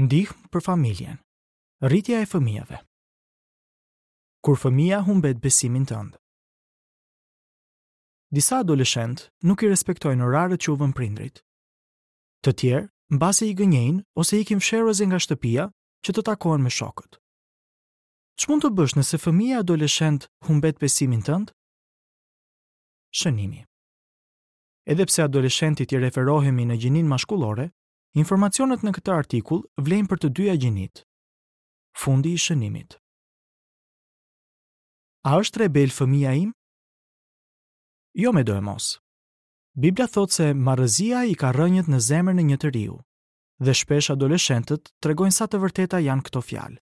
Ndihmë për familjen. Rritja e fëmijëve. Kur fëmija humbet besimin tënd. Disa adoleshentë nuk i respektojnë oraret që u vënë prindërit. Të tjerë, mbase i gënjejnë ose ikin fshehurazi nga shtëpia që të takohen me shokët. Ç'mund të bësh nëse fëmija adoleshent humbet besimin tënd? Shënimi. Edhe pse adoleshentit i referohemi në gjininë mashkullore, Informacionet në këtë artikull vlejnë për të dyja gjinitë. Fundi i shënimit. A është rebel fëmija im? Jo medoemos. Bibla thotë se marrëzia i ka rrënjët në zemrën e një të riu, dhe shpesh adoleshentët tregojnë sa të vërteta janë këto fjalë.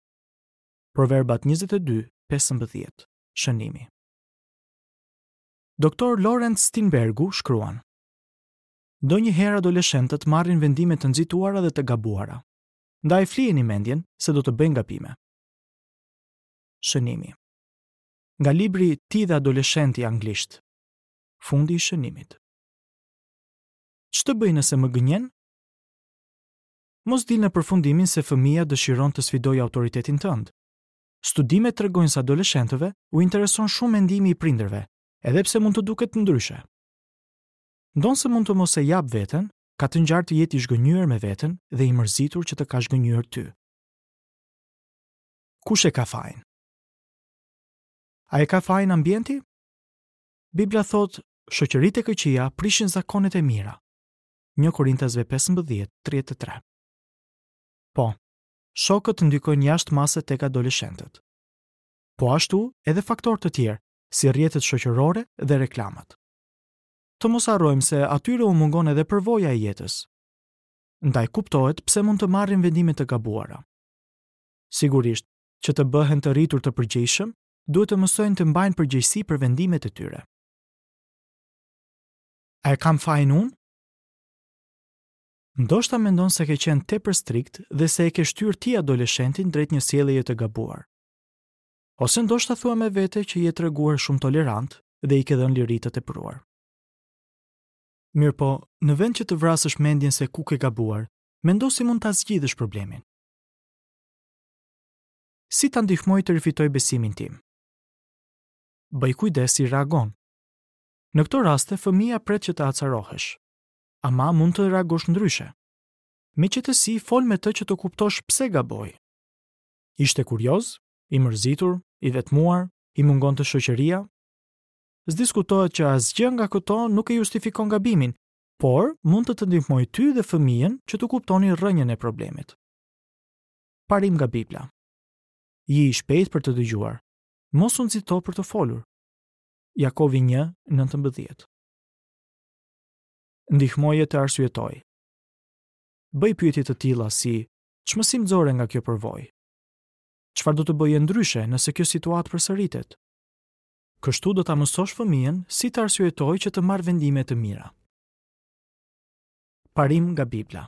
Proverbat 22, 15, shënimi. Doktor Laurence Steinbergu shkruan: Ndonjëherë adoleshentët marrin vendime të nxituara dhe të gabuara. Ndaj flijeni mendjen se do të bëjnë gabime. Shënimi. Nga libri Ti dhe adoleshenti anglisht. Fundi i shënimit. Ç'të bëj nëse më gënjen? Mos dil në përfundimin se fëmija dëshiron të sfidojë autoritetin tënd. Studimet tregojnë se adoleshentëve u intereson shumë mendimi i prindërve, edhe pse mund të duket ndryshe. Ndonëse mund të mos e japë veten, ka të ngjarë të jetë i zhgënjyer me veten dhe i mërzitur që të ka zhgënjyer ty. Kush e ka fajin? A e ka fajin ambienti? Bibla thotë, shoqëritë e këqija prishin zakonet e mira. 1 Korintasve 15:33. Po, shokët ndikojnë jashtë mase tek adoleshentët. Po ashtu, edhe faktorë të tjerë, si rrjetet shoqërore dhe reklamat. Të mos harrojmë se atyre u mungon edhe përvoja e jetës. Ndaj kuptohet pse mund të marrin vendime të gabuara. Sigurisht, që të bëhen të rritur të përgjegjshëm, duhet të mësojnë të mbajnë përgjegjësi për vendimet e tyre. A e kam fajin unë? Ndoshta mendon se ke qenë tepër strikt dhe se e ke shtyrë ti adoleshentin drejt një sjelljeje të gabuar. Ose ndoshta thua me vete që je treguar shumë tolerant dhe i ke dhënë liri të tepruar. Mirëpo, në vend që të vrasësh mendjen se ku ke gabuar, mendo si mund ta zgjidhësh problemin. Si ta ndihmoj të rifitojë besimin tim? Bëj kujdes si reagon. Në këto raste, fëmija pret që të acarohesh. Ama mund të reagosh ndryshe. Me qetësi fol me të që të kuptosh pse gaboi. Ishte kurioz, i mërzitur, i vetmuar, i mungonte shoqëria? S'diskutohet që asgjë nga këto nuk e justifikon gabimin, por mund të të ndihmojë ty dhe fëmijën që të kuptoni rrënjën e problemit. Parim nga Bibla. Ji i shpejtë për të dëgjuar. Mos u nxito për të folur. Jakovi 1:19. Ndihmoje të arsyetojë. Bëj pyetje të tilla si Ç'mësim nxore nga kjo përvojë? Çfarë do të bëje ndryshe nëse kjo situatë përsëritet? Kështu do ta mësosh fëmijën si të arsyetojë që të marrë vendime të mira. Parim nga Bibla.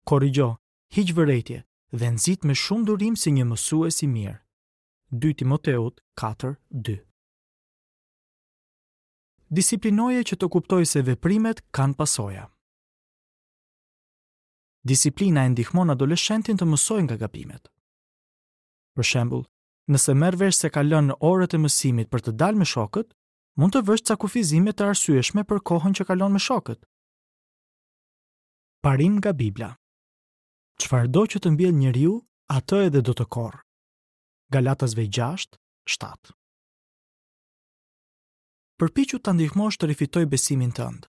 Korrigjo, hiq vërejtje dhe nxit me shumë durim si një mësues i mirë. 2 Timoteut 4:2. Disiplinoje që të kuptojë se veprimet kanë pasoja. Disiplina e ndihmon adoleshentin të mësojë nga gabimet. Për shembull, nëse merr vesh se ka lënë orët e mësimit për të dalë me shokët, mund të vësh ca kufizime të arsyeshme për kohën që kalon me shokët. Parim nga Bibla. Çfarëdo që të mbjellë njeriu, atë edhe do të korrë. Galatasve 6, 7. Përpiqu ta ndihmosh të rifitojë besimin tënd.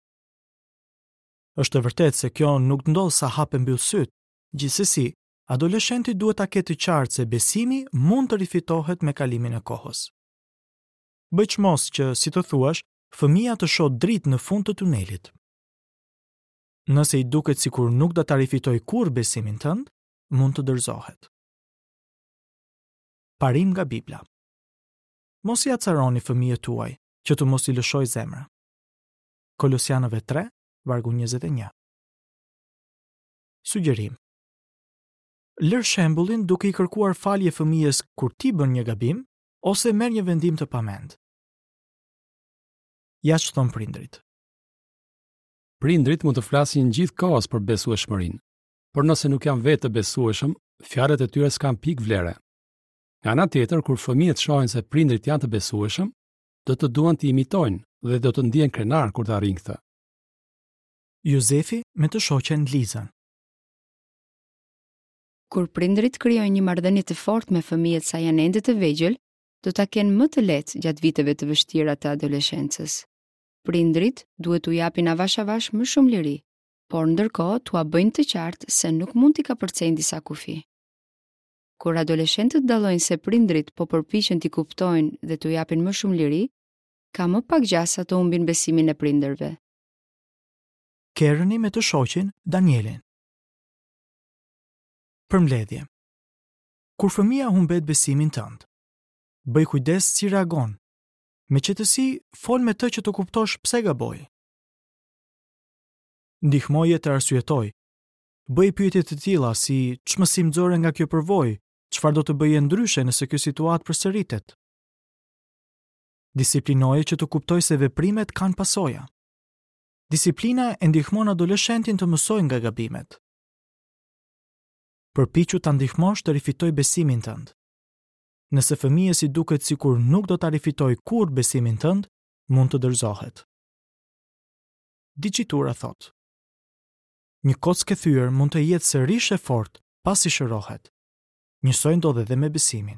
Është e vërtetë se kjo nuk ndodh sa hap e mbyll sytë. Gjithsesi, adoleshenti duhet ta ketë të qartë se besimi mund të rifitohet me kalimin e kohës. Bëj çmos që, si të thuash, fëmija të shohë dritë në fund të tunelit. Nëse i duket sikur nuk do ta rifitojë kurrë besimin tënd, mund të dorëzohet. Parim nga Bibla. Mos i acaroni fëmijët tuaj, që të mos i lëshojë zemra. Kolosianëve 3, vargu 21. Sugjerim. Lër shembullin duke i kërkuar falje fëmijës kur ti bën një gabim ose merr një vendim të pamend. Ja ç'thonë prindërit. Prindërit mund të flasin gjithë kohës për besueshmërinë. Por nëse nuk janë vetë të besueshëm, fjalët e tyre s'kanë pikë vlere. Nga ana tjetër, kur fëmijët shohin se prindërit janë të besueshëm, do të duan t'i imitojnë dhe do të ndihen krenarë kur ta arrijnë këtë. Jozefi me të shoqen Lizën. Kur prindërit krijojnë një marrëdhënie të fortë me fëmijët sa janë ende të vegjël, do ta kenë më të lehtë gjatë viteve të vështira të adoleshencës. Prindërit duhet t'u japin avash-avash më shumë liri, por ndërkohë t'ua bëjnë të qartë se nuk mund t'i kapërcejnë disa kufij. Kur adoleshentët dallojnë se prindërit po përpiqen t'i kuptojnë dhe t'u japin më shumë liri, ka më pak gjasa të humbin besimin e prindërve. Kerëni me të shoqin Danielin. Përmbledhje. Kur fëmija humbet besimin tënd, bëj kujdes si reagon. Me qetësi, fol me të që të kuptosh pse gaboi. Ndihmoje të arsyetojë. Bëj pyetje të tilla si ç'mësim nxore nga kjo përvojë, çfarë do të bëje ndryshe nëse kjo situatë përsëritet. Disiplinoje që të kuptojë se veprimet kanë pasoja. Disiplina e ndihmon adoleshentin të mësojë nga gabimet. Përpiqu ta ndihmosh të rifitojë besimin tënd. Nëse fëmijës i duket sikur nuk do ta rifitojë kurrë besimin tënd, mund të dorëzohet. Dicitura thotë: Një kockë e thyer mund të jetë sërish e fortë pasi shërohet. Njësoj ndodh edhe me besimin.